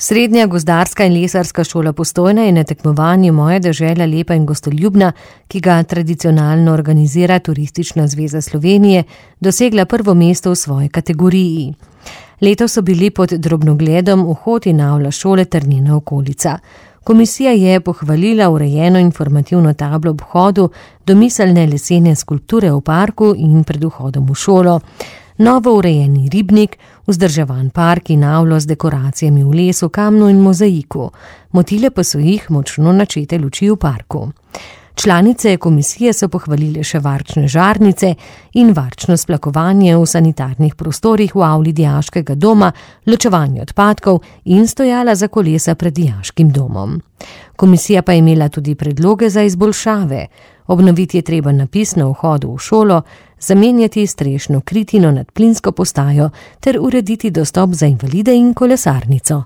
Srednja gozdarska in lesarska šola Postojna je na tekmovanju Moja dežela lepa in gostoljubna, ki ga tradicionalno organizira Turistična zveza Slovenije, dosegla prvo mesto v svoji kategoriji. Letos so bili pod drobnogledom vhod in avla šole ter njena okolica. Komisija je pohvalila urejeno informativno tablo ob vhodu, domiselne lesene skulpture v parku in pred vhodom v šolo, novo urejeni ribnik, vzdrževan park in avlo z dekoracijami v lesu, kamnu in mozaiku. Motile pa so jih močno načete luči v parku. Članice komisije so pohvalile še varčne žarnice in varčno splakovanje v sanitarnih prostorih v avli dijaškega doma, ločevanje odpadkov in stojala za kolesa pred dijaškim domom. Komisija pa je imela tudi predloge za izboljšave. Obnoviti je treba napis na vhodu v šolo, zamenjati strešno kritino nad plinsko postajo ter urediti dostop za invalide in kolesarnico.